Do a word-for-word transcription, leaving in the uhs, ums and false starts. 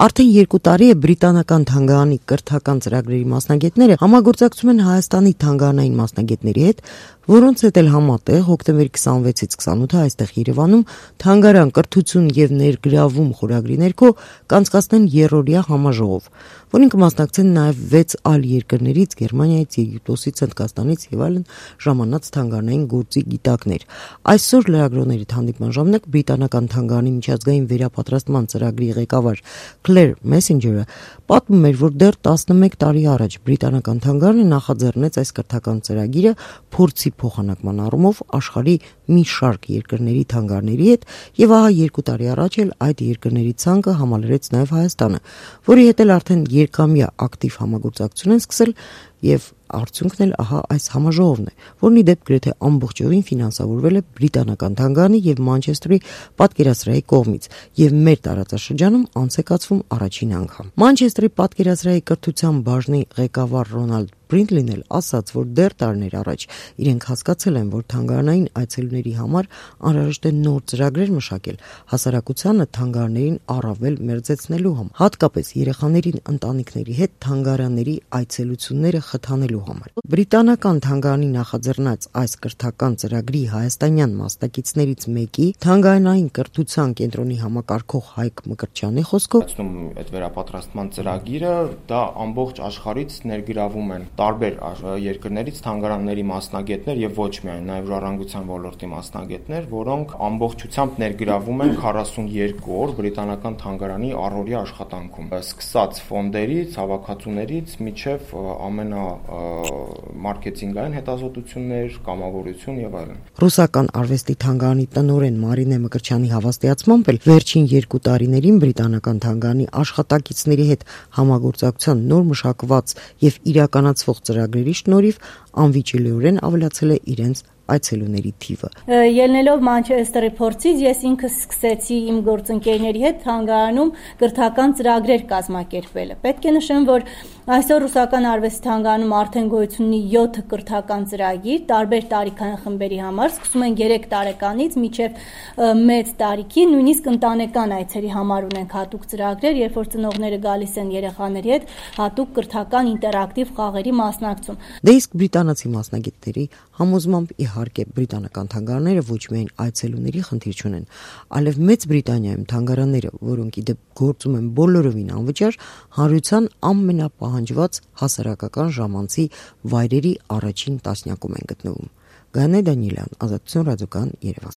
Արդեն երկու տարի է բրիտանական թանգարանի կրթական ծրագրերի մասնագետները համագործակցում են Հայաստանի թանգարանային մասնագետների հետ, որոնց հետ էլ համատեղ հոկտեմբերի քսանվեցից քսանութը այստեղ Երևանում թանգարան կրթություն եւ ներգրավում խորագրի ներքո կանցկացնեն երրորդյա համաժողով, որին կմասնակցեն նաեւ վեց այլ երկրներից՝ Գերմանիայից, Եգիպտոսից, Հնդկաստանից եւ այլն ժամանած թանգարանային գործի գիտակներ։ Այսօր լրագրողների հանդիպման ժամանակ բրիտանական թանգարանի միջազգային վերապատրաստման ծրագրի ղեկավար Claire Messenger-ը պատմում էր, որ դեռ տասնմեկ տարի առաջ բրիտանական թանգարանը նախաձեռնեց այս կրթական ծրագիրը փորձի փոխանակման առումով աշխարհի մի շարք երկրների թանգարանների հետ, եւ ահա երկու տարի առաջ էլ այդ երկրների ցանկը համալրեց նաեւ Հայաստանը, որի հետ էլ արդեն երկամյա ակտիվ համագործակցություն են սկսել եւ արդյունքն էլ ահա այս համաժողովն է, որն ի դեպ գրեթե ամբողջովին ֆինանսավորվել է բրիտանական թանգարանի եւ Մանչեսթերի պատկերասրահի կողմից եւ մեր տարածաշրջանում անց է կացվում առաջին անգամ։ Մանչեսթերի պատկերասրահի կրթության բաժնի ղեկավար Ռոնալդ Բրինտլին էլ ասաց, որ դեռ տարիներ առաջ իրենք հասկացել են, որ թանգարանային այցելուների համար անհրաժեշտ է նոր ծրագրեր մշակել հասարակությանը թանգարաններին առավել մերձեցնելու համար, հատկապես երեխաներին ընտանիքների հետ թանգարանների այցելությունները խթանելու համար։ Բրիտանական թանգարանի նախաձեռնած այս կրթական ծրագրի հայաստանյան մասնակիցներից մեկի թանգարանային կրթության կենտրոնի համակարգող Հայկ Մկրտչյանի խոսքով այդ վերապատրաստման ծրագիրը դա ամբողջ աշխարհից ներգրավում են տարբեր երկրներից թանգարանների մասնագետներ եւ ոչ միայն նաեւ ժառանգության ոլորտի մասնագետներ, որոնք ամբողջությամբ ներգրավում են քառասունեքու օր բրիտանական թանգարանի առօրյա աշխատանքում, սկսած ֆոնդերից, հավաքածուներից մինչեւ ամենա մարքեթինգային հետազոտություններ, կամավորություն եւ այլն։ Ռուսական արվեստի թանգարանի տնօրեն Մարինե Մկրտչյանի հավաստիացմամբ էլ վերջին երկու տարիներին բրիտանական թանգարանի աշխատակիցների հետ համագործակցության նոր մշակված եւ իրականացվող ծրագրերի շնորհիվ անվիճելիորեն ավելացել է իրենց այցելուների թիվը։ Ելնելով Մանչեսթերի փորձից ես ինքս սկսեցի իմ գործընկերների հետ թանգարանում կրթական ծրագրեր կազմակերպելը։ Պետք է նշեմ, որ այսօր ռուսական արվեստի թանգարանում արդեն գոյություն ունի յոթ կրթական ծրագիր, տարբեր տարիքային խմբերի համար, սկսում են երեք տարեկանից մինչև մեծ տարիքի, նույնիսկ ընտանեկան այցերի համար ունենք հատուկ ծրագրեր, երբ որ ծնողները գալիս են երեխաների հետ հատուկ կրթական ինտերակտիվ խաղերի մասնակցում։ Դե իսկ բրիտանացի մասնագետների համոզմամբ իհարկե բրիտանական թանգարանները ոչ միայն այցելուների խնդիր չունեն, այլև Մեծ Բրիտանիայում թանգարանները, որոնք ի դեպ գործում են բոլորովին անվճար, հանրության ամենապահանջված հասարակական ժամանցի վայրերի առաջին տասնյակում են գտնվում։ Գայանե Դանիելյան, Ազատություն ռադիոկայան, Երևան։